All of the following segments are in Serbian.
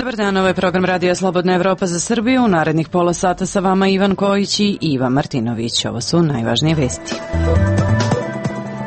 Dobar dan, ovo je program Radija Slobodna Evropa za Srbiju. U narednih pola sata sa vama Ivan Kojić i Iva Martinović. Ovo su najvažnije vesti.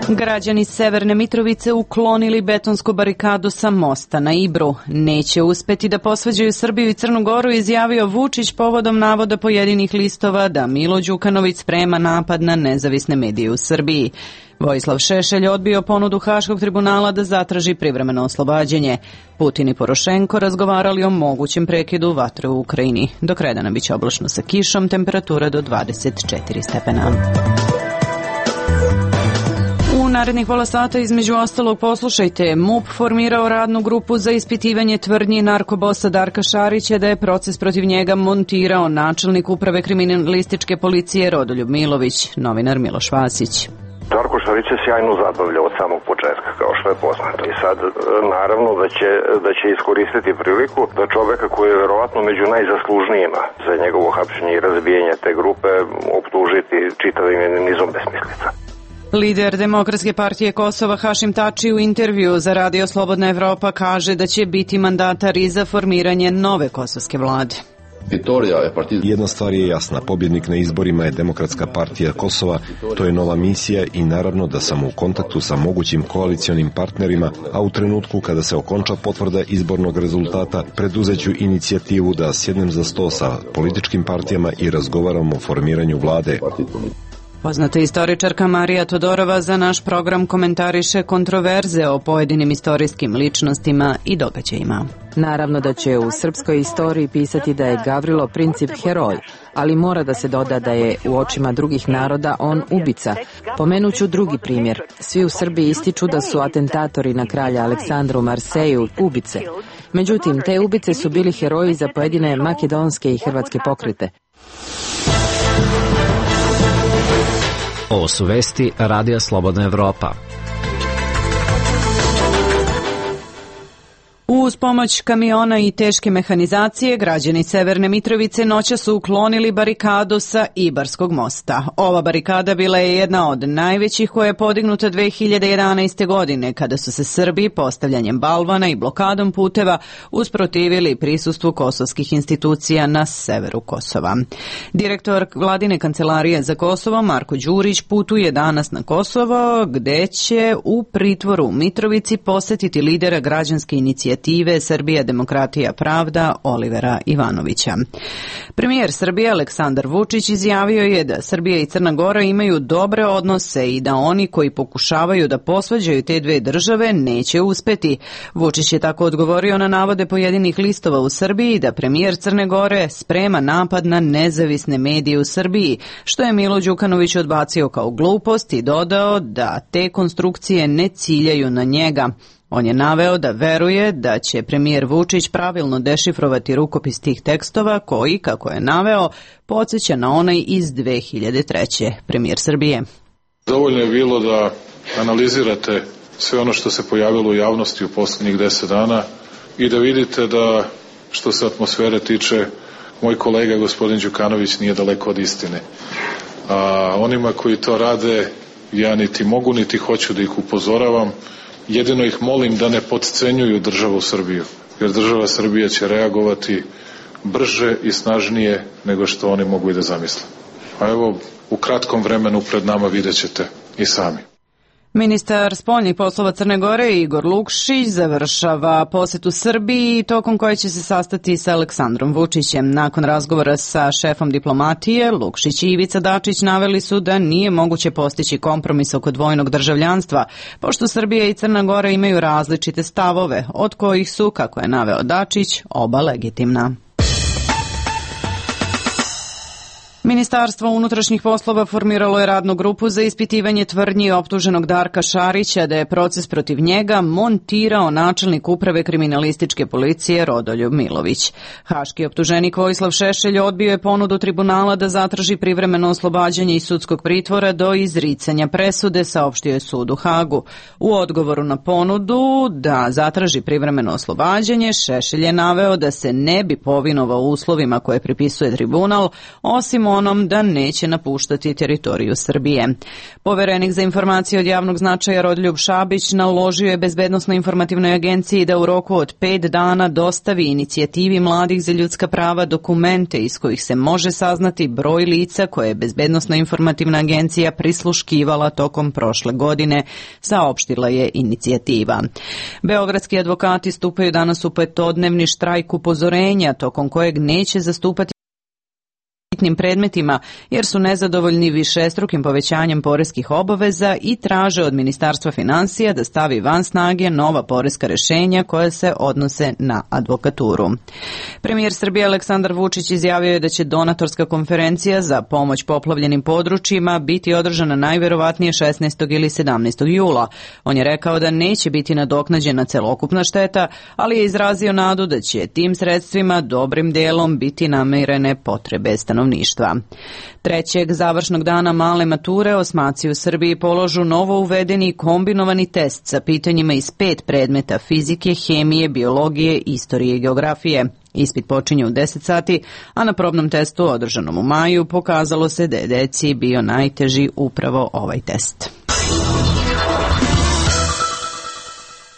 Građani Severne Mitrovice uklonili betonsku barikadu sa mosta na Ibru. Neće uspeti da posvađaju Srbiju i Crnu Goru, izjavio Vučić povodom navoda pojedinih listova da Milo Đukanović sprema napad na nezavisne medije u Srbiji. Vojislav Šešelj odbio ponudu Haškog tribunala da zatraži privremeno oslobađanje. Putin i Porošenko razgovarali o mogućem prekidu vatre u Ukrajini. Do kredana biće oblačno sa kišom, temperatura do 24 stepena. U narednih pola sata između ostalog poslušajte, MUP formirao radnu grupu za ispitivanje tvrdnji narkobosa Darka Šarića da je proces protiv njega montirao načelnik uprave kriminalističke policije Rodoljub Milović, novinar Miloš Vasić. Darko Šarić je sjajno zabavljao od samog početka, kao što je poznato. I sad, naravno, da će iskoristiti priliku da čoveka koji je verovatno među najzaslužnijima za njegovo hapšenje i razbijanje te grupe optužiti čitavim nizom besmislica. Lider Demokratske partije Kosova Hašim Tači u intervju za Radio Slobodna Evropa kaže da će biti mandatar i za formiranje nove kosovske vlade. Jedna stvar je jasna, pobjednik na izborima je Demokratska partija Kosova, to je nova misija i naravno da sam u kontaktu sa mogućim koalicionim partnerima, a u trenutku kada se okonča potvrda izbornog rezultata, preduzeću inicijativu da sjednem za sto sa političkim partijama i razgovaramo o formiranju vlade. Poznata istoričarka Marija Todorova za naš program komentariše kontroverze o pojedinim istorijskim ličnostima i događajima. Naravno da će u srpskoj istoriji pisati da je Gavrilo Princip heroj, ali mora da se doda da je u očima drugih naroda on ubica. Pomenuću drugi primjer. Svi u Srbiji ističu da su atentatori na kralja Aleksandra u Marseju ubice. Međutim, te ubice su bili heroji za pojedine makedonske i hrvatske pokrete. Ovo su vesti Radija Slobodna Evropa. Uz pomoć kamiona i teške mehanizacije, građani Severne Mitrovice noća su uklonili barikadu sa Ibarskog mosta. Ova barikada bila je jedna od najvećih koja je podignuta 2011. godine, kada su se Srbi postavljanjem balvana i blokadom puteva usprotivili prisustvu kosovskih institucija na severu Kosova. Direktor vladine kancelarije za Kosovo, Marko Đurić, putuje danas na Kosovo, gde će u pritvoru u Mitrovici posetiti lidera građanske inicijative Srbija, demokratija, pravda Olivera Ivanovića. Premijer Srbije Aleksandar Vučić izjavio je da Srbija i Crna Gora imaju dobre odnose i da oni koji pokušavaju da posvađaju te dve države neće uspeti. Vučić je tako odgovorio na navode pojedinih listova u Srbiji da premijer Crne Gore sprema napad na nezavisne medije u Srbiji, što je Milo Đukanović odbacio kao glupost i dodao da te konstrukcije ne ciljaju na njega. On je naveo da veruje da će premijer Vučić pravilno dešifrovati rukopis tih tekstova koji, kako je naveo, podsjeća na onaj iz 2003. Premijer Srbije. Dovoljno je bilo da analizirate sve ono što se pojavilo u javnosti u posljednjih 10 dana i da vidite da, što se atmosfere tiče, moj kolega gospodin Đukanović nije daleko od istine. A onima koji to rade, ja niti mogu niti hoću da ih upozoravam. Jedino ih molim da ne potcenjuju državu Srbiju, jer država Srbija će reagovati brže i snažnije nego što oni mogu i da zamisle. A evo, u kratkom vremenu pred nama vidjet ćete i sami. Ministar spoljnih poslova Crne Gore Igor Lukšić završava posetu Srbiji, tokom koje će se sastati sa Aleksandrom Vučićem. Nakon razgovora sa šefom diplomatije, Lukšić i Ivica Dačić naveli su da nije moguće postići kompromis oko dvojnog državljanstva, pošto Srbija i Crna Gora imaju različite stavove, od kojih su, kako je naveo Dačić, oba legitimna. Ministarstvo unutrašnjih poslova formiralo je radnu grupu za ispitivanje tvrdnji optuženog Darka Šarića da je proces protiv njega montirao načelnik uprave kriminalističke policije Rodoljub Milović. Haški optuženik Vojislav Šešelj odbio je ponudu tribunala da zatraži privremeno oslobađanje iz sudskog pritvora do izricanja presude, saopštio je sud u Hagu. U odgovoru na ponudu da zatraži privremeno oslobađanje, Šešelj je naveo da se ne bi povinovao uslovima koje pripisuje tribunal, osim telefonom da neće napuštati teritoriju Srbije. Poverenik za informacije od javnog značaja Rodoljub Šabić naložio je Bezbednosno-informativnoj agenciji da u roku od 5 dana dostavi inicijativi Mladih za ljudska prava dokumente iz kojih se može saznati broj lica koje je Bezbednosno-informativna agencija prisluškivala tokom prošle godine, saopštila je inicijativa. Beogradski advokati stupaju danas u petodnevni štrajk upozorenja, tokom kojeg neće zastupati bitnim predmetima jer su nezadovoljni višestrukim povećanjem poreskih obaveza i traže od Ministarstva finansija da stavi van snage nova poreska rešenja koja se odnose na advokaturu. Premijer Srbije Aleksandar Vučić izjavio je da će donatorska konferencija za pomoć poplavljenim područjima biti održana najverovatnije 16. ili 17. jula. On je rekao da neće biti nadoknađena celokupna šteta, ali je izrazio nadu da će tim sredstvima dobrim delom biti namirene potrebe stanovništva. Trećeg završnog dana male mature osmaci u Srbiji položu novo uvedeni kombinovani test sa pitanjima iz 5 predmeta fizike, hemije, biologije, istorije i geografije. Ispit počinje u 10 sati, a na probnom testu održanom u maju pokazalo se da je deci bio najteži upravo ovaj test.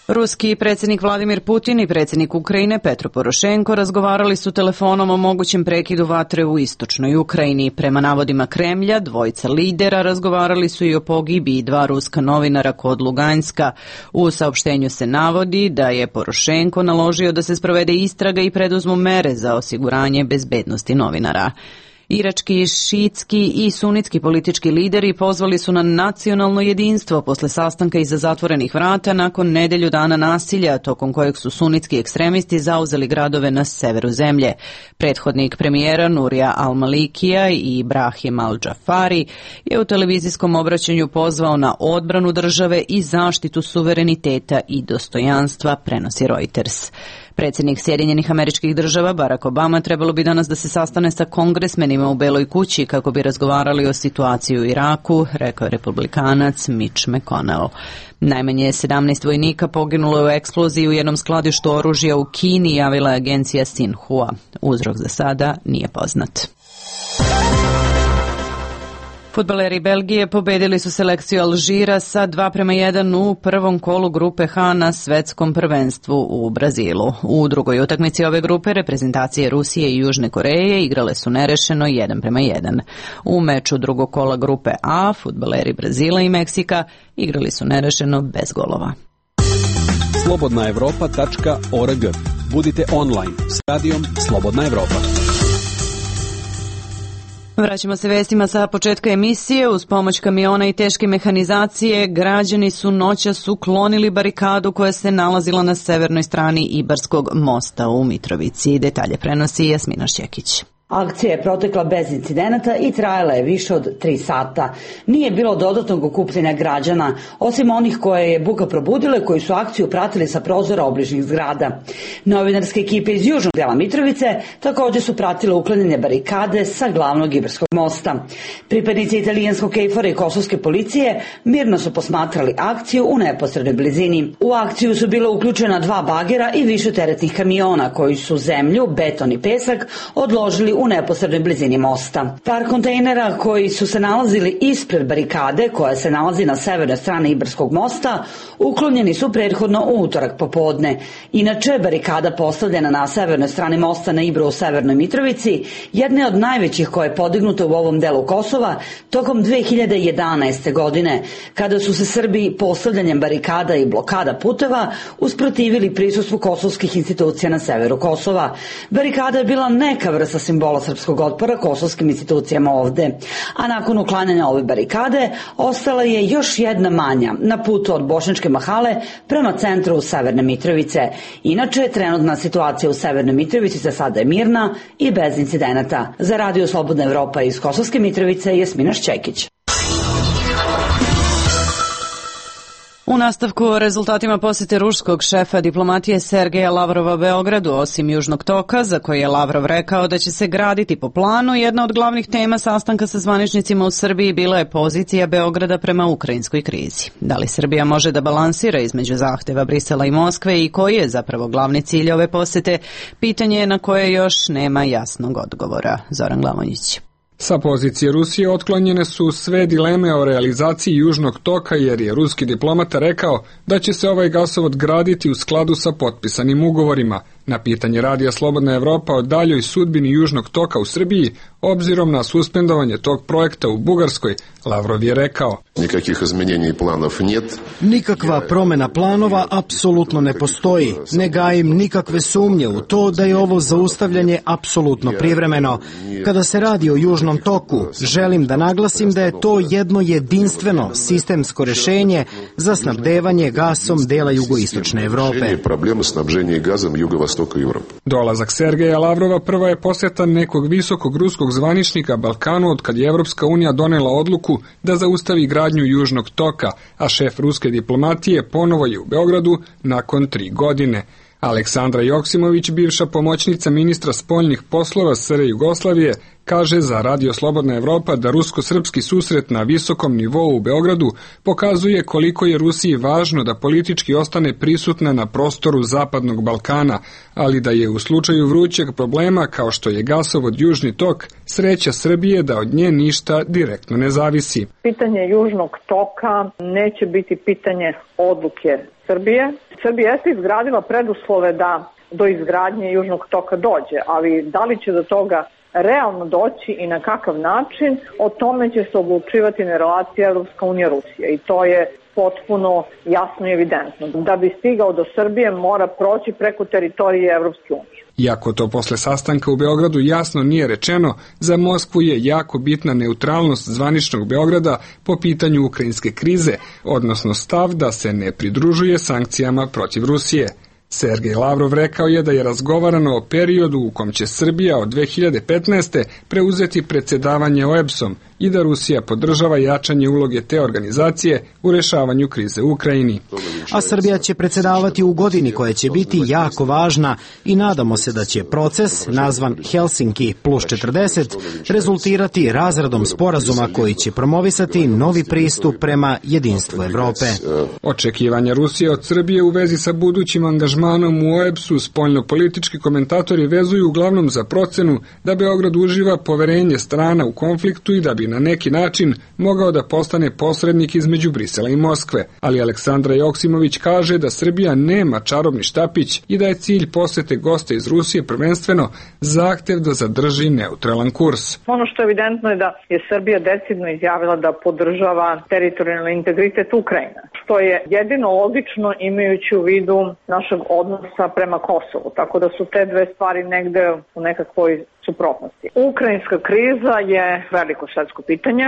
Ruski predsjednik Vladimir Putin i predsjednik Ukrajine Petro Porošenko razgovarali su telefonom o mogućem prekidu vatre u istočnoj Ukrajini. Prema navodima Kremlja, dvojica lidera razgovarali su i o pogibiji 2 ruska novinara kod Luganska. U saopštenju se navodi da je Porošenko naložio da se sprovede istraga i preduzmu mere za osiguranje bezbednosti novinara. Irački, šiitski i sunitski politički lideri pozvali su na nacionalno jedinstvo posle sastanka iza zatvorenih vrata nakon nedelju dana nasilja, tokom kojeg su sunitski ekstremisti zauzeli gradove na severu zemlje. Prethodnik premijera Nurija al-Malikija i Ibrahim al-Džafari je u televizijskom obraćanju pozvao na odbranu države i zaštitu suvereniteta i dostojanstva, prenosi Reuters. Predsjednik Sjedinjenih Američkih Država Barack Obama trebalo bi danas da se sastane sa kongresmenima u Beloj kući kako bi razgovarali o situaciji u Iraku, rekao je republikanac Mitch McConnell. Najmanje 17 vojnika poginulo je u eksploziji u jednom skladištu oružja u Kini, javila je agencija Xinhua. Uzrok za sada nije poznat. Fudbaleri Belgije pobedili su selekciju Alžira sa 2:1 u prvom kolu grupe H na svetskom prvenstvu u Brazilu. U drugoj utakmici ove grupe reprezentacije Rusije i Južne Koreje igrale su nerešeno 1:1. U meču drugog kola grupe A fudbaleri Brazila i Meksika igrali su nerešeno bez golova. slobodnaevropa.org. Budite online s radijom Slobodna Evropa. Vraćamo se vestima sa početka emisije. Uz pomoć kamiona i teške mehanizacije građani su noćas uklonili barikadu koja se nalazila na severnoj strani Ibarskog mosta u Mitrovici. Detalje prenosi Jasmina Šćekić. Akcija je protekla bez incidenata i trajala je više od 3 sata. Nije bilo dodatnog okupljanja građana, osim onih koje je buka probudile, koji su akciju pratili sa prozora obližnjih zgrada. Novinarske ekipe iz južnog dela Mitrovice također su pratile uklanjanje barikade sa glavnog Ibarskog mosta. Pripadnici italijanskog KFOR-a i kosovske policije mirno su posmatrali akciju u neposrednoj blizini. U akciju su bila uključena 2 bagera i više teretnih kamiona koji su zemlju, beton i pesak odložili u neposrednoj blizini mosta. Par kontejnera koji su se nalazili ispred barikade koja se nalazi na severnoj strani Ibarskog mosta uklonjeni su prethodno u utorak popodne. Inače, barikada postavljena na severnoj strani mosta na Ibru u Severnoj Mitrovici jedna je od najvećih koja je podignuta u ovom delu Kosova tokom 2011. godine, kada su se Srbi postavljanjem barikada i blokada puteva usprotivili prisustvu kosovskih institucija na severu Kosova. Barikada je bila neka vrsta simbola srpskog otpora kosovskim institucijama ovde. A nakon uklanjanja ove barikade ostala je još jedna manja na putu od Bošnjačke Mahale prema centru Severne Mitrovice. Inače, trenutna situacija u Severnoj Mitrovici za sada je mirna i bez incidenata. Za Radio Slobodna Evropa iz Kosovske Mitrovice, Jasmina Šćekić. U nastavku o rezultatima posete ruskog šefa diplomatije Sergeja Lavrova Beogradu, osim Južnog toka, za koji je Lavrov rekao da će se graditi po planu, jedna od glavnih tema sastanka sa zvaničnicima u Srbiji bila je pozicija Beograda prema ukrajinskoj krizi. Da li Srbija može da balansira između zahteva Brisela i Moskve i koji je zapravo glavni cilj ove posete, pitanje je na koje još nema jasnog odgovora. Zoran Glavonjić. Sa pozicije Rusije otklonjene su sve dileme o realizaciji Južnog toka jer je ruski diplomata rekao da će se ovaj gasovod graditi u skladu sa potpisanim ugovorima. Na pitanje Radija Slobodna Evropa o daljoj sudbini Južnog toka u Srbiji, obzirom na suspendovanje tog projekta u Bugarskoj, Lavrov je rekao: Nikakvih izmenjenja i planov нет. Nikakva promena planova apsolutno ne postoji. Ne gajim nikakve sumnje u to da je ovo zaustavljanje apsolutno privremeno. Kada se radi o Južnom toku, želim da naglasim da je to jedno jedinstveno sistemsko rešenje za snabdevanje gasom dela jugoistočne Evrope. Problema snabženja gazom jugovostoka Evrope. Dolazak Sergeja Lavrova prva je poseta nekog visokog ruskog zvaničnika Balkanu od kad je Evropska unija donela odluku da zaustavi gradnju Južnog toka, a šef ruske diplomatije ponovo je u Beogradu nakon 3 godine. Aleksandra Joksimović, bivša pomoćnica ministra spoljnih poslova SR Jugoslavije, kaže za Radio Slobodna Evropa da rusko-srpski susret na visokom nivou u Beogradu pokazuje koliko je Rusiji važno da politički ostane prisutna na prostoru Zapadnog Balkana, ali da je u slučaju vrućeg problema kao što je gasovod Južni tok, sreća Srbije da od nje ništa direktno ne zavisi. Pitanje Južnog toka neće biti pitanje odluke Srbije. Srbija jeste izgradila preduslove da do izgradnje Južnog toka dođe, ali da li će do toga realno doći i na kakav način, o tome će se odlučivati na relaciji Evropska unija-Rusija i to je potpuno jasno i evidentno. Da bi stigao do Srbije mora proći preko teritorije Evropske unije. Iako to posle sastanka u Beogradu jasno nije rečeno, za Moskvu je jako bitna neutralnost zvaničnog Beograda po pitanju ukrajinske krize, odnosno stav da se ne pridružuje sankcijama protiv Rusije. Sergej Lavrov rekao je da je razgovarano o periodu u kom će Srbija od 2015. preuzeti predsjedavanje OEBS-om i da Rusija podržava jačanje uloge te organizacije u rešavanju krize u Ukrajini. A Srbija će predsjedavati u godini koja će biti jako važna i nadamo se da će proces, nazvan Helsinki plus 40, rezultirati razradom sporazuma koji će promovisati novi pristup prema jedinstvu Evrope. Očekivanja Rusije od Srbije u vezi sa budućim angažmanom u OEBS-u spoljnopolitički komentatori vezuju uglavnom za procenu da Beograd uživa poverenje strana u konfliktu i da bi na neki način mogao da postane posrednik između Brisela i Moskve, ali Aleksandra Joksimović kaže da Srbija nema čarobni štapić i da je cilj posete gosta iz Rusije prvenstveno zahtev da zadrži neutralan kurs. Ono što je evidentno je da je Srbija decidno izjavila da podržava teritorijalni integritet Ukrajine, što je jedino logično imajući u vidu našeg odnosa prema Kosovu, tako da su te dve stvari negde u nekakvoj suprotnosti. Ukrajinska kriza je veliko svetsko pitanje.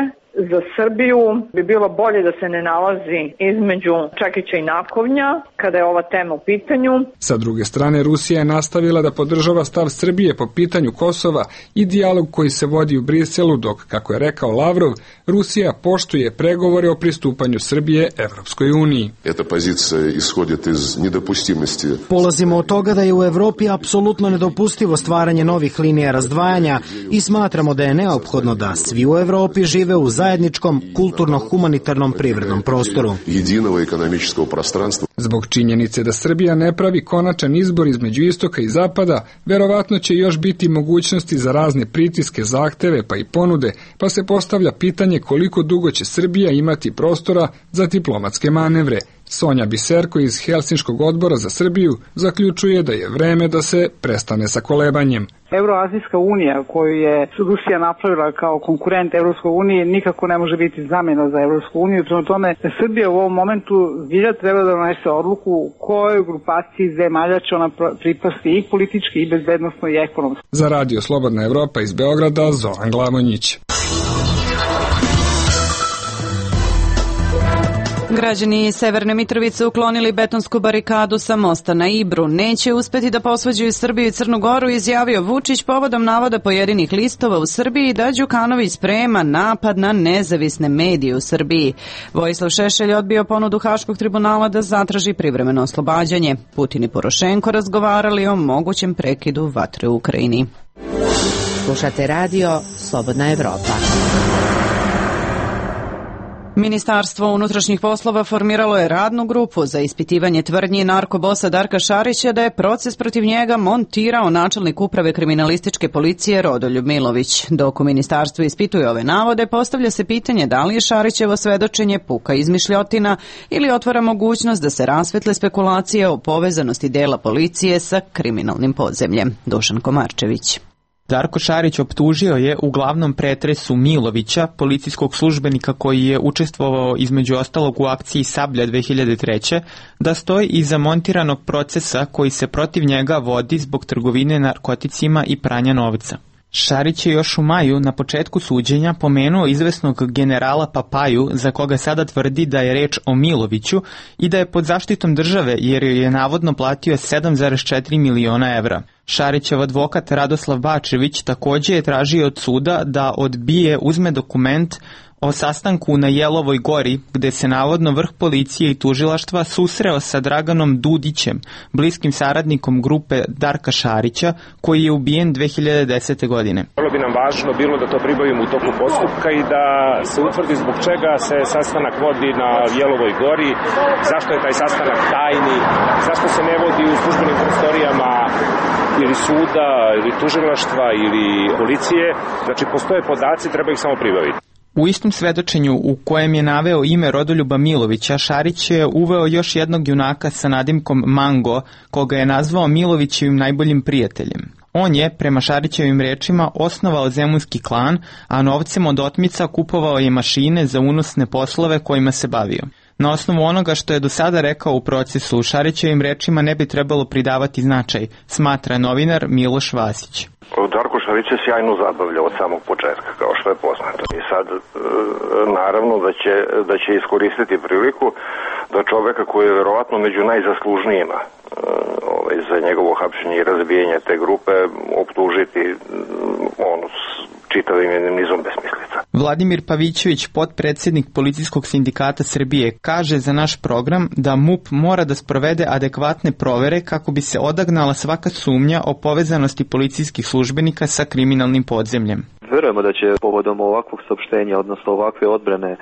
Za Srbiju bi bilo bolje da se ne nalazi između čekića i nakovnja kada je ova tema u pitanju. Sa druge strane, Rusija je nastavila da podržava stav Srbije po pitanju Kosova i dijalog koji se vodi u Briselu, dok, kako je rekao Lavrov, Rusija poštuje pregovore o pristupanju Srbije Evropskoj uniji. Eta pozicija ishodit iz nedopustimosti. Polazimo od toga da je u Evropi apsolutno nedopustivo stvaranje novih linija razdvajanja i smatramo da je neophodno da svi u Evropi žive u zajedničkom kulturno-humanitarnom privrednom prostoru. Jedinog ekonomičkog prostranstva. Zbog činjenice da Srbija ne pravi konačan izbor između istoka i zapada, verovatno će još biti mogućnosti za razne pritiske, zahteve pa i ponude, pa se postavlja pitanje koliko dugo će Srbija imati prostora za diplomatske manevre. Sonja Biserko iz Helsinškog odbora za Srbiju zaključuje da je vreme da se prestane sa kolebanjem. Euroazijska unija koju je Rusija napravila kao konkurent Evropskoj uniji nikako ne može biti zamjena za Evropsku uniju. Prema tome, Srbija u ovom momentu zbilja treba da donese odluku kojoj grupaciji zemalja će ona pripasti i politički i bezbednosno i ekonomski. Za Radio Slobodna Evropa iz Beograda, Zoran Glavonjić. Građani Severne Mitrovice uklonili betonsku barikadu sa mosta na Ibru. Neće uspeti da posvađaju Srbiju i Crnu Goru, izjavio Vučić povodom navoda pojedinih listova u Srbiji da Đukanović sprema napad na nezavisne medije u Srbiji. Vojislav Šešelj odbio ponudu Haškog tribunala da zatraži privremeno oslobađanje. Putin i Porošenko razgovarali o mogućem prekidu vatre u Ukrajini. Slušate radio Slobodna Evropa. Ministarstvo unutrašnjih poslova formiralo je radnu grupu za ispitivanje tvrdnji narkobosa Darka Šarića da je proces protiv njega montirao načelnik uprave kriminalističke policije Rodoljub Milović. Dok u ministarstvu ispituje ove navode, postavlja se pitanje da li je Šarićevo svedočenje puka izmišljotina ili otvara mogućnost da se rasvetle spekulacije o povezanosti dela policije sa kriminalnim podzemljem. Dušan Komarčević. Darko Šarić optužio je u glavnom pretresu Milovića, policijskog službenika koji je učestvovao između ostalog u akciji Sablja 2003. da stoji iza montiranog procesa koji se protiv njega vodi zbog trgovine narkoticima i pranja novca. Šarić je još u maju na početku suđenja pomenuo izvesnog generala Papaju, za koga sada tvrdi da je reč o Miloviću i da je pod zaštitom države jer joj je navodno platio 7,4 miliona evra. Šarićev advokat Radoslav Bačević također je tražio od suda da uzme dokument o sastanku na Jelovoj gori, gde se navodno vrh policije i tužilaštva susreo sa Draganom Dudićem, bliskim saradnikom grupe Darka Šarića, koji je ubijen 2010. godine. Vrlo bi nam važno bilo da to pribavimo u toku postupka i da se utvrdi zbog čega se sastanak vodi na Jelovoj gori, zašto je taj sastanak tajni, zašto se ne vodi u službenim prostorijama ili suda, ili tužilaštva, ili policije. Znači, postoje podaci, treba ih samo pribaviti. U istom svedočenju u kojem je naveo ime Rodoljuba Milovića, Šarić je uveo još jednog junaka sa nadimkom Mango, koga je nazvao Milovićevim najboljim prijateljem. On je, prema Šarićevim rečima, osnovao zemunski klan, a novcem od otmica kupovao je mašine za unosne poslove kojima se bavio. Na osnovu onoga što je do sada rekao u procesu, Šarićevim rečima ne bi trebalo pridavati značaj, smatra novinar Miloš Vasić. Darko Šarić se sjajno zabavlja od samog početka, kao što je poznato. I sad, naravno da će iskoristiti priliku da čoveka koji je verovatno među najzaslužnijima za njegovo hapšenje i razbijanje te grupe optužiti čitavim jednim nizom besmislica. Vladimir Pavićević, potpredsjednik Policijskog sindikata Srbije, kaže za naš program da MUP mora da sprovede adekvatne provere kako bi se odagnala svaka sumnja o povezanosti policijskih službenika sa kriminalnim podzemljem. Verujemo da će povodom ovakvog saopštenja, odnosno ovakve odbrane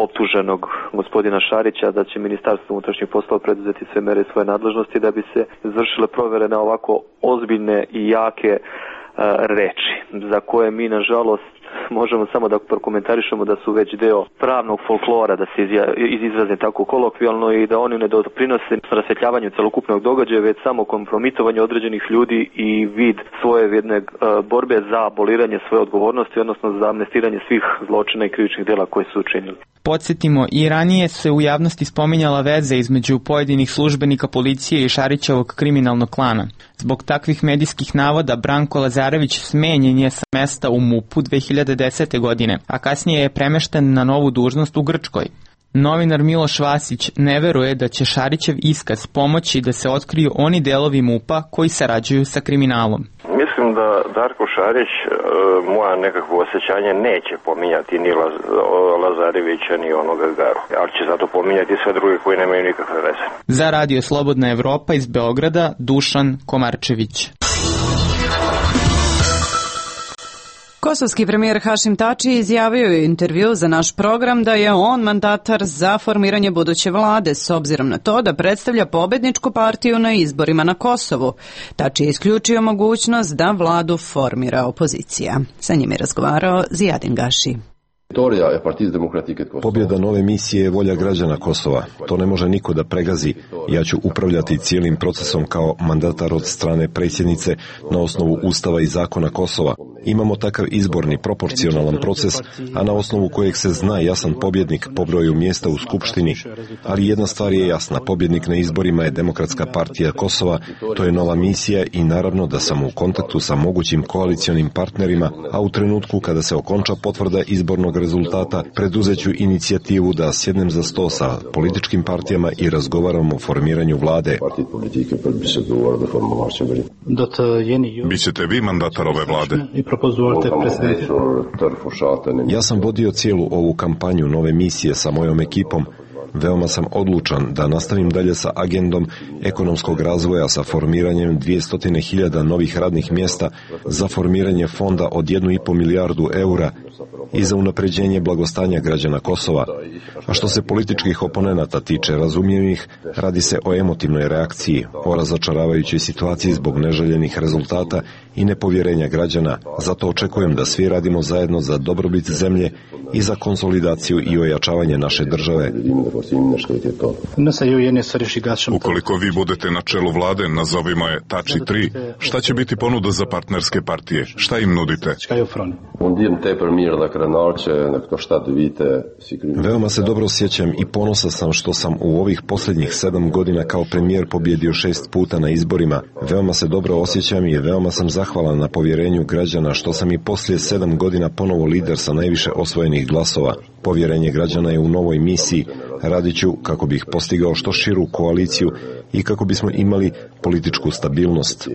optuženog gospodina Šarića, da će Ministarstvo unutrašnjih poslova preduzeti sve mere svoje nadležnosti da bi se izvršile provere na ovako ozbiljne i jake reči, za koje mi nažalost možemo samo da prokomentarišemo da su već deo pravnog folklora, da se izrazim tako kolokvijalno, i da oni ne doprinose rasvetljavanju celokupnog događaja, već samo kompromitovanju određenih ljudi i vid svoje jedne borbe za aboliranje svoje odgovornosti, odnosno za amnestiranje svih zločina i krivičnih dela koje su učinili. Podsjetimo, i ranije se u javnosti spominjala veza između pojedinih službenika policije i Šarićevog kriminalnog klana. Zbog takvih medijskih navoda Branko Lazarević smenjen je sa mesta u MUP-u 2010. godine, a kasnije je premešten na novu dužnost u Grčkoj. Novinar Miloš Vasić ne veruje da će Šarićev iskaz pomoći da se otkriju oni delovi MUP-a koji sarađuju sa kriminalom. Mislim da Darko Šarić, moja nekakvo osjećanje, neće pominjati ni Lazarevića ni onoga Garu, ali će zato pominjati sve druge koji nemaju nikakve veze. Za Radio Slobodna Evropa iz Beograda, Dušan Komarčević. Kosovski premijer Hašim Tači izjavio je u intervju za naš program da je on mandatar za formiranje buduće vlade s obzirom na to da predstavlja pobedničku partiju na izborima na Kosovu. Tači je isključio mogućnost da vladu formira opozicija. Sa njim je razgovarao Zijadin Gaši. Pobjeda nove misije je volja građana Kosova. To ne može niko da pregazi. Ja ću upravljati cijelim procesom kao mandatar od strane predsjednice na osnovu Ustava i zakona Kosova. Imamo takav izborni, proporcionalan proces, a na osnovu kojeg se zna jasan pobjednik po broju mjesta u Skupštini. Ali jedna stvar je jasna, pobjednik na izborima je Demokratska partija Kosova, to je nova misija i naravno da sam u kontaktu sa mogućim koalicionim partnerima, a u trenutku kada se okonča potvrda izbornog rezultata, preduzeću inicijativu da sjednem za sto sa političkim partijama i razgovaramo o formiranju vlade. Bićete vi mandatar ove vlade? Ja sam vodio cijelu ovu kampanju nove misije sa mojom ekipom. Veoma sam odlučan da nastavim dalje sa agendom ekonomskog razvoja, sa formiranjem 200.000 novih radnih mjesta, za formiranje fonda od 1,5 milijardu eura i za unapređenje blagostanja građana Kosova. A što se političkih oponenata tiče, razumijem ih, radi se o emotivnoj reakciji, o razočaravajućoj situaciji zbog neželjenih rezultata i nepovjerenja građana. Zato očekujem da svi radimo zajedno za dobrobit zemlje i za konsolidaciju i ojačavanje naše države. Ukoliko vi budete na čelu vlade, nazovimo je Tači 3, šta će biti ponuda za partnerske partije? Šta im nudite? Veoma se dobro sjećam i ponosan sam što sam u ovih posljednjih 7 godina kao premijer pobjedio 6 puta na izborima. Veoma se dobro osjećam i veoma sam zahvalan na povjerenju građana što sam i poslije 7 godina ponovo lider sa najviše osvojenih glasova. Povjerenje građana je u novoj misiji. Radit ću kako bih postigao što širu koaliciju i kako bismo imali političku stabilnost.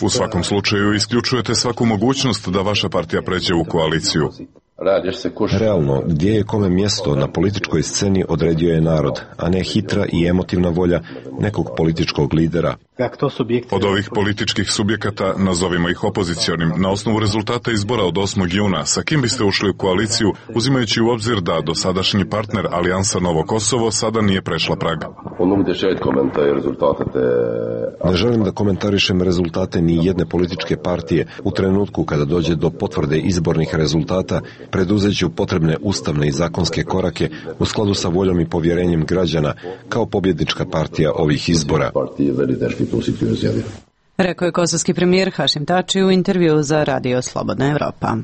U svakom slučaju isključujete svaku mogućnost da vaša partija pređe u koaliciju. Realno, gdje je kome mjesto na političkoj sceni odredio je narod, a ne hitra i emotivna volja nekog političkog lidera. Od ovih političkih subjekata, nazovimo ih opozicionim, na osnovu rezultata izbora od 8. juna, sa kim biste ušli u koaliciju, uzimajući u obzir da dosadašnji partner Alijansa Novo Kosovo sada nije prešla prag? Ne želim da komentarišem rezultate ni jedne političke partije. U trenutku kada dođe do potvrde izbornih rezultata, preduzet ću potrebne ustavne i zakonske korake u skladu sa voljom i povjerenjem građana kao pobjednička partija ovih izbora. Rekao je kosovski premijer Hašim Tači u intervjuu za Radio Slobodna Evropa.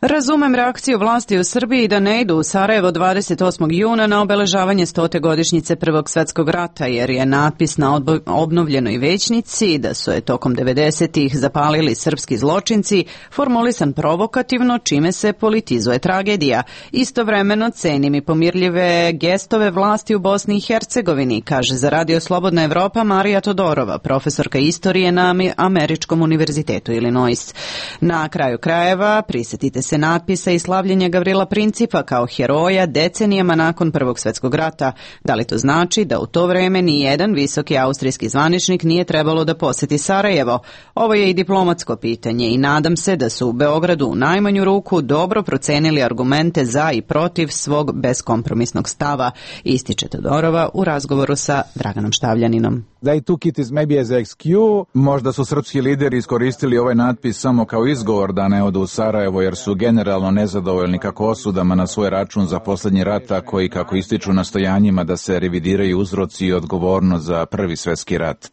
Razumem reakciju vlasti u Srbiji da ne idu u Sarajevo 28. juna na obeležavanje 100. godišnjice Prvog svjetskog rata, jer je natpis na obnovljenoj većnici da su je tokom 90-ih zapalili srpski zločinci formulisan provokativno, čime se politizuje tragedija. Istovremeno cenim i pomirljive gestove vlasti u Bosni i Hercegovini, kaže za Radio Slobodna Evropa Marija Todorova, profesorka istorije na Američkom univerzitetu Illinois. Na kraju krajeva prisjetite se natpisa i slavljenja Gavrila Principa kao heroja decenijama nakon Prvog svjetskog rata. Da li to znači da u to vrijeme ni jedan visoki austrijski zvaničnik nije trebalo da posjeti Sarajevo? Ovo je i diplomatsko pitanje i nadam se da su u Beogradu u najmanju ruku dobro procenili argumente za i protiv svog beskompromisnog stava, ističe Todorova u razgovoru sa Draganom Štavljaninom. They took it as maybe as excuse. Možda su srpski lideri iskoristili ovaj natpis samo kao izgovor da ne odu u Sarajevo, jer su generalno nezadovoljni kako osudama na svoj račun za posljednji rat, tako i kako ističu nastojanjima da se revidiraju uzroci i odgovornost za Prvi svjetski rat.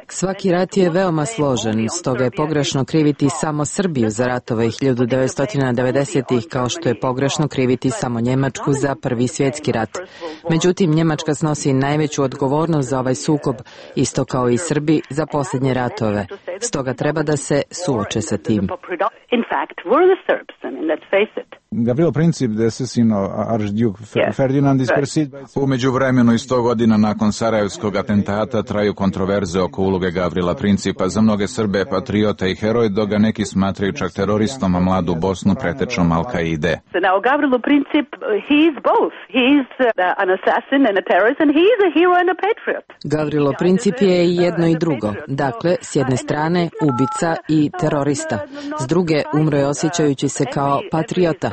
Svaki rat je veoma složen, stoga je pogrešno kriviti samo Srbiju za ratove 1990-ih, kao što je pogrešno kriviti samo Njemačku za Prvi svjetski rat. Međutim, Njemačka snosi najveću odgovornost za ovaj sukob, isto kao i Srbi za posljednje ratove. Stoga treba da se suoče sa tim. Gavrilo Princip, Archduke Ferdinand is perceived. U međuvremenu i 100 godina nakon Sarajevskog atentata traju kontroverze oko uloge Gavrila Principa. Za mnoge Srbe patriota i heroj, dok ga neki smatraju čak teroristom, a mladu Bosnu pretečom Al-Kaide. Gavrilo Princip, he is both. He is an assassin and a terrorist, and he is a hero and a patriot. Gavrilo Princip je i jedno i drugo. Dakle, s jedne strane ubica i terorista, s druge umro je osjećajući se kao patriota.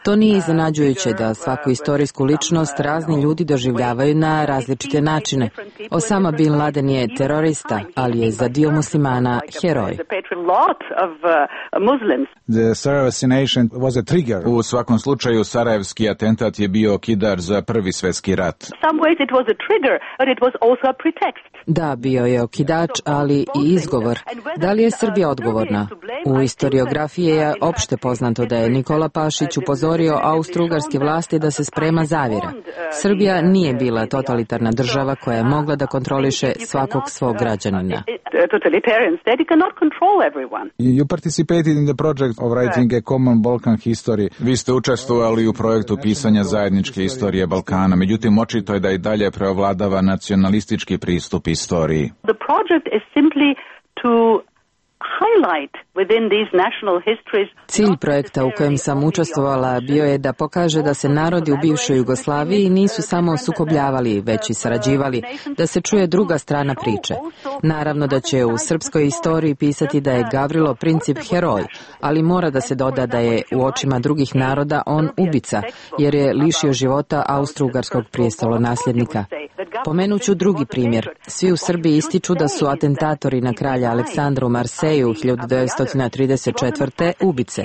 To nije iznenađujuće da svaku istorijsku ličnost razni ljudi doživljavaju na različite načine. Osama Bin Laden je terorista, ali je za dio muslimana heroj. U svakom slučaju, sarajevski atentat je bio okidač za Prvi svjetski rat. Da, bio je okidač, ali i izgovor. Da li je Srbija odgovorna? U historiografiji je opšte poznato da je Nikola Pašić upozorio austro-ugarske vlasti da se sprema zavjera. Srbija nije bila totalitarna država koja je mogla da kontroliše svakog svog građanina. You participated in the project of writing a common Balkan history. Vi ste učestvovali u projektu pisanja zajedničke istorije Balkana, međutim očito je da i dalje preovladava nacionalistički pristup istoriji. The project is simply to Cilj projekta u kojem sam učestvovala bio je da pokaže da se narodi u bivšoj Jugoslaviji nisu samo sukobljavali, već i sarađivali, da se čuje druga strana priče. Naravno da će u srpskoj istoriji pisati da je Gavrilo Princip heroj, ali mora da se doda da je u očima drugih naroda on ubica, jer je lišio života austrougarskog prijestolonasljednika. Pomenuću drugi primjer. Svi u Srbiji ističu da su atentatori na kralja Aleksandra u Marseju 1934. ubice.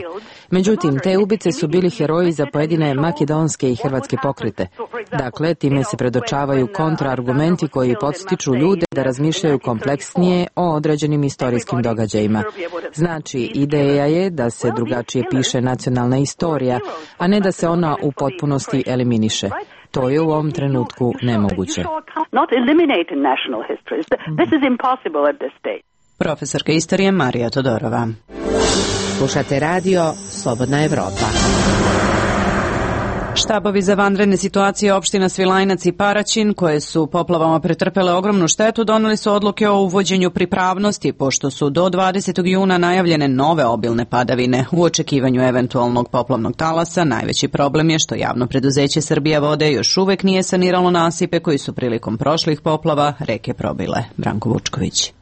Međutim, te ubice su bili heroji za pojedine makedonske i hrvatske pokrete. Dakle, time se predočavaju kontraargumenti koji podstiču ljude da razmišljaju kompleksnije o određenim istorijskim događajima. Znači, ideja je da se drugačije piše nacionalna istorija, a ne da se ona u potpunosti eliminiše. To je u ovom trenutku nemoguće. Profesorka istorije Marija Todorova. Slušate radio Slobodna Evropa. Štabovi za vanredne situacije opština Svilajnac i Paraćin, koje su poplavama pretrpele ogromnu štetu, doneli su odluke o uvođenju pripravnosti, pošto su do 20. juna najavljene nove obilne padavine. U očekivanju eventualnog poplavnog talasa, najveći problem je što javno preduzeće Srbija vode još uvek nije saniralo nasipe koji su prilikom prošlih poplava reke probile. Branko Vučković.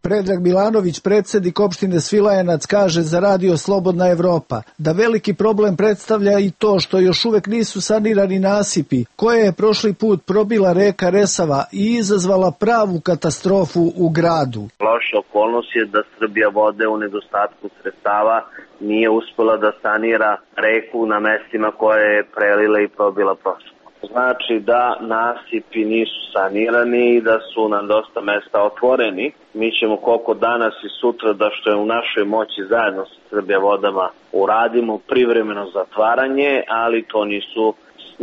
Predrag Milanović, predsjednik opštine Svilajanac, kaže za radio Slobodna Evropa da veliki problem predstavlja i to što još uvek nisu sanirani nasipi, koje je prošli put probila reka Resava i izazvala pravu katastrofu u gradu. Loša okolnost je da Srbija vode u nedostatku sredstava nije uspela da sanira reku na mestima koje je prelila i probila prošlo. Znači da nasipi nisu sanirani i da su na dosta mesta otvoreni. Mi ćemo koliko danas i sutra da što je u našoj moći zajedno sa Srbija vodama uradimo privremeno zatvaranje, ali to nisu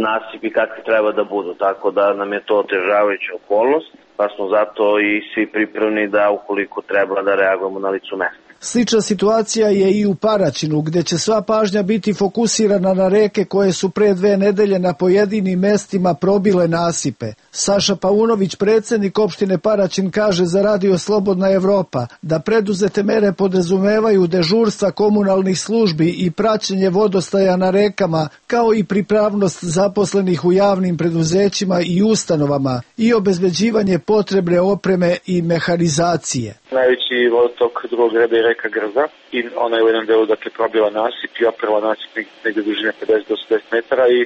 nasipi kakvi treba da budu, tako da nam je to otežavajuća okolnost, pa smo zato i svi pripremni da ukoliko treba da reagujemo na licu mesta. Slična situacija je i u Paraćinu, gde će sva pažnja biti fokusirana na reke koje su pre 2 nedelje na pojedinim mestima probile nasipe. Saša Paunović, predsjednik opštine Paraćin, kaže za radio Slobodna Evropa da preduzete mere podrazumevaju dežurstva komunalnih službi i praćenje vodostaja na rekama, kao i pripravnost zaposlenih u javnim preduzećima i ustanovama i obezbeđivanje potrebne opreme i mehanizacije. Najveći vodotok drugog reda je reka Grza i ona je u jednom delu probila nasip i oprala nasip negdje dužine 50 do 80 metara i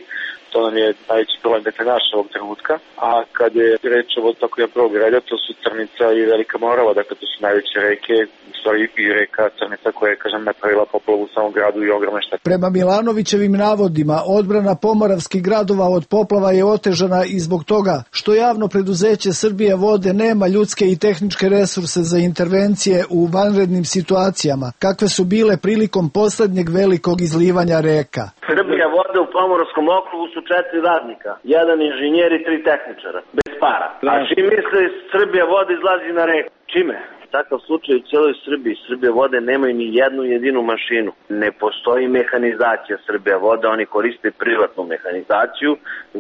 to nam je najveći problem naš ovog trenutka. A kad je reč o vodotoku prvog reda, to su Crnica i Velika Morava, dakle to su najveće reke, i reka Crnica koja je, napravila poplavu u samom gradu i ogromne štete. Prema Milanovićevim navodima, odbrana pomoravskih gradova od poplava je otežana i zbog toga što javno preduzeće Srbija vode nema ljudske i tehničke resurse za intervencije u vanrednim situacijama, kakve su bile prilikom poslednjeg velikog izlivanja reka. Srbija vode u Pomoravskom okrugu su 4 radnika, 1 inženjer i 3 tehničara, bez para. A čim misle Srbija vode izlazi na reku? Čime? Takav slučaj u cijeloj Srbiji. Srbija vode nemaju ni jednu jedinu mašinu. Ne postoji mehanizacija Srbija vode, oni koriste privatnu mehanizaciju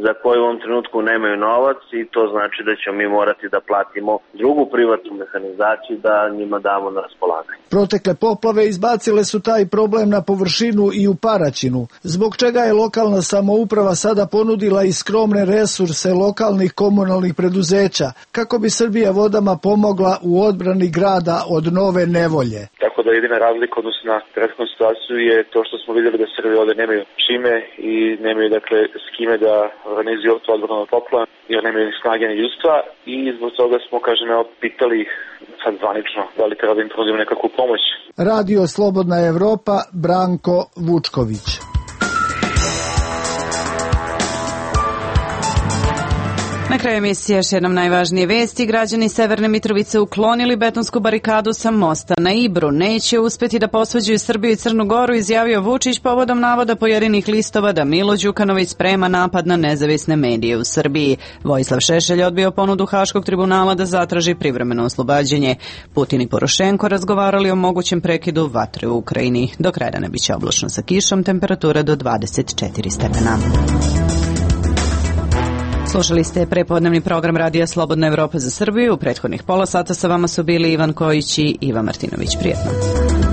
za koju u ovom trenutku nemaju novac i to znači da ćemo mi morati da platimo drugu privatnu mehanizaciju da njima damo na raspolaganje. Protekle poplave izbacile su taj problem na površinu i u Paraćinu, zbog čega je lokalna samouprava sada ponudila i skromne resurse lokalnih komunalnih preduzeća, kako bi Srbija vodama pomogla u odbrani grada od nove nevolje. Tako da jedina razlika odnosno na prethodnu situaciju je to što smo vidjeli da Srbije ovde nemaju čime i nemaju s kime da organizuju to odbranu od poplava, jer nemaju ni snage ni ljudstva i zbog toga smo, pitali ih sad zvanično da li treba da im ponudimo nekakvu pomoć. Radio Slobodna Evropa, Branko Vučković. Na kraju emisije još jednom najvažnije vesti. Građani Severne Mitrovice uklonili betonsku barikadu sa mosta na Ibru. Neće uspeti da posvađaju Srbiju i Crnu Goru, izjavio Vučić povodom navoda pojedinih listova da Milo Đukanović sprema napad na nezavisne medije u Srbiji. Vojislav Šešelj odbio ponudu Haškog tribunala da zatraži privremeno oslobađanje. Putin i Porošenko razgovarali o mogućem prekidu vatre u Ukrajini. Do kraja dana biće oblačno sa kišom, temperatura do 24 stepena. Slušali ste prepodnevni program Radija Slobodna Evropa za Srbiju. U prethodnih pola sata sa vama su bili Ivan Kojić i Iva Martinović. Prijetno.